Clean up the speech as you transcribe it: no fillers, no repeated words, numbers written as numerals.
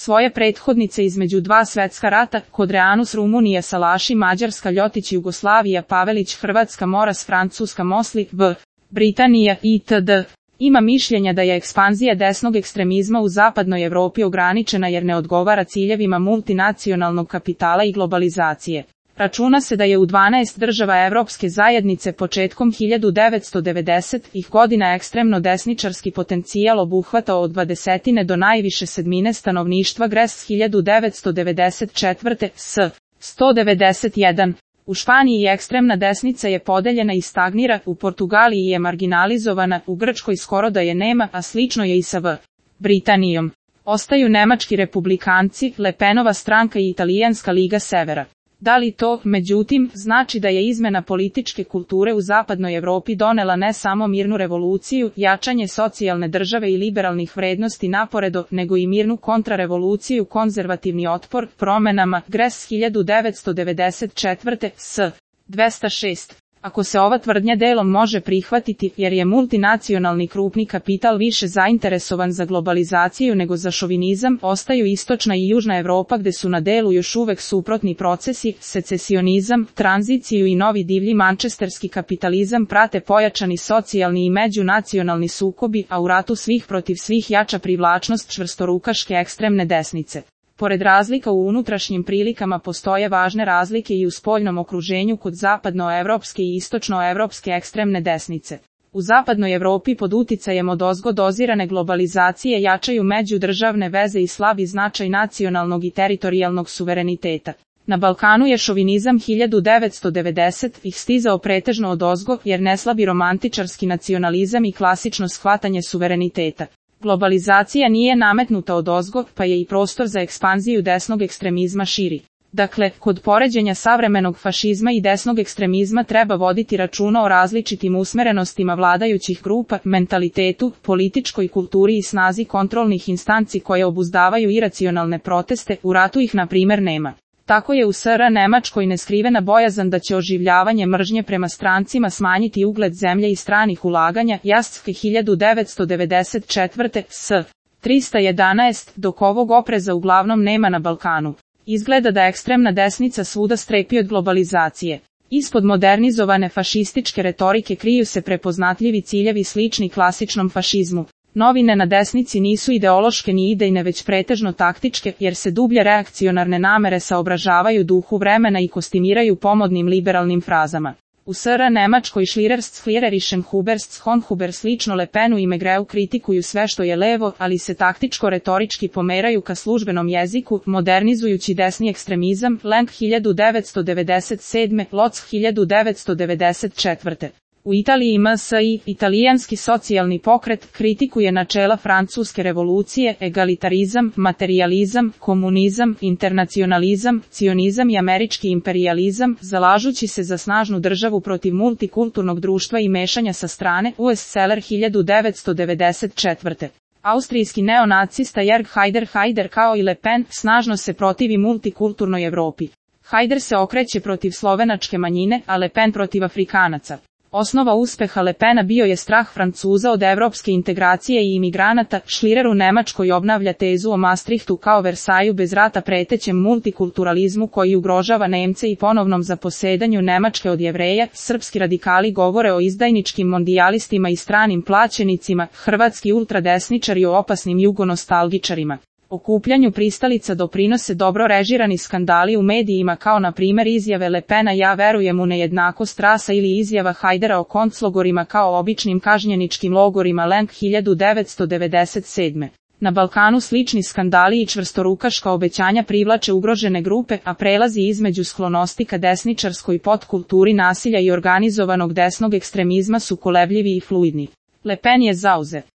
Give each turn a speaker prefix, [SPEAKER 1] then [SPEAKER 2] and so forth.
[SPEAKER 1] Svoje prethodnice između dva svetska rata, Kodreanus Rumunija Salaši Mađarska Ljotić Jugoslavija Pavelić Hrvatska Moras Francuska Mosli v. Britanija itd. Ima mišljenja da je ekspanzija desnog ekstremizma u zapadnoj Evropi ograničena jer ne odgovara ciljevima multinacionalnog kapitala i globalizacije. Računa se da je u 12 država Evropske zajednice početkom 1990-ih godina ekstremno desničarski potencijal obuhvatao od 20 do najviše sedmine stanovništva Gres 1994. s. 191. U Španiji ekstremna desnica je podeljena i stagnira, u Portugaliji je marginalizovana, u Grčkoj skoro da je nema, a slično je i sa v. Britanijom. Ostaju nemački republikanci, Le Penova stranka i Italijanska liga severa. Da li to, međutim, znači da je izmena političke kulture u zapadnoj Evropi donela ne samo mirnu revoluciju, jačanje socijalne države i liberalnih vrednosti naporedo, nego i mirnu kontrarevoluciju, konzervativni otpor, promenama, Gres 1994. s. 206. Ako se ova tvrdnja delom može prihvatiti, jer je multinacionalni krupni kapital više zainteresovan za globalizaciju nego za šovinizam, ostaju istočna i južna Evropa gde su na delu još uvek suprotni procesi, secesionizam, tranziciju i novi divlji mančesterski kapitalizam prate pojačani socijalni i međunacionalni sukobi, a u ratu svih protiv svih jača privlačnost čvrstorukaške ekstremne desnice. Pored razlika u unutrašnjim prilikama postoje važne razlike i u spoljnom okruženju kod zapadnoevropske i istočnoevropske ekstremne desnice. U zapadnoj Evropi pod uticajem odozgo dozirane globalizacije jačaju međudržavne veze i slabi značaj nacionalnog i teritorijalnog suvereniteta. Na Balkanu je šovinizam 1990-ih stizao pretežno odozgo jer ne slabi romantičarski nacionalizam i klasično shvatanje suvereniteta. Globalizacija nije nametnuta odozgo, pa je i prostor za ekspanziju desnog ekstremizma širi. Dakle, kod poređenja savremenog fašizma i desnog ekstremizma treba voditi računa o različitim usmerenostima vladajućih grupa, mentalitetu, političkoj kulturi i snazi kontrolnih instanci koje obuzdavaju iracionalne proteste, u ratu ih na primer nema. Tako je u SR Nemačkoj neskrivena bojazan da će oživljavanje mržnje prema strancima smanjiti ugled zemlje i stranih ulaganja, Jaske 1994. s. 311, dok ovog opreza uglavnom nema na Balkanu. Izgleda da ekstremna desnica svuda strepi od globalizacije. Ispod modernizovane fašističke retorike kriju se prepoznatljivi ciljevi slični klasičnom fašizmu. Novine na desnici nisu ideološke ni idejne već pretežno taktičke, jer se dublje reakcionarne namere saobražavaju duhu vremena i kostimiraju pomodnim liberalnim frazama. U SR Nemačkoj Schliererischen Huberst slično Le Penu i Megreu kritikuju sve što je levo, ali se taktičko-retorički pomeraju ka službenom jeziku, modernizujući desni ekstremizam, Lenk 1997, Loc 1994. U Italiji MSI, italijanski socijalni pokret, kritikuje načela francuske revolucije, egalitarizam, materijalizam, komunizam, internacionalizam, cionizam i američki imperijalizam, zalažući se za snažnu državu protiv multikulturnog društva i mešanja sa strane, US Seller 1994. Austrijski neonacista Jörg Haider kao i Le Pen, snažno se protivi multikulturnoj Evropi. Haider se okreće protiv slovenačke manjine, a Le Pen protiv Afrikanaca. Osnova uspeha Le Pena bio je strah Francuza od evropske integracije i imigranata. Schlirer u Nemačkoj obnavlja tezu o Maastrichtu kao Versaju bez rata pretećem multikulturalizmu koji ugrožava Nemce i ponovnom zaposedanju Nemačke od Jevreja. Srpski radikali govore o izdajničkim mondijalistima i stranim plaćenicima, hrvatski ultradesničari o opasnim jugonostalgičarima. Okupljanju pristalica doprinose dobro režirani skandali u medijima kao na primjer izjave Le Pena ja verujem u nejednakost rasa ili izjava Hajdera o konclogorima kao običnim kažnjeničkim logorima Lenk 1997. Na Balkanu slični skandali i čvrstorukaška obećanja privlače ugrožene grupe, a prelazi između sklonosti ka desničarskoj podkulturi nasilja i organizovanog desnog ekstremizma su kolebljivi i fluidni. Le Pen je zauzet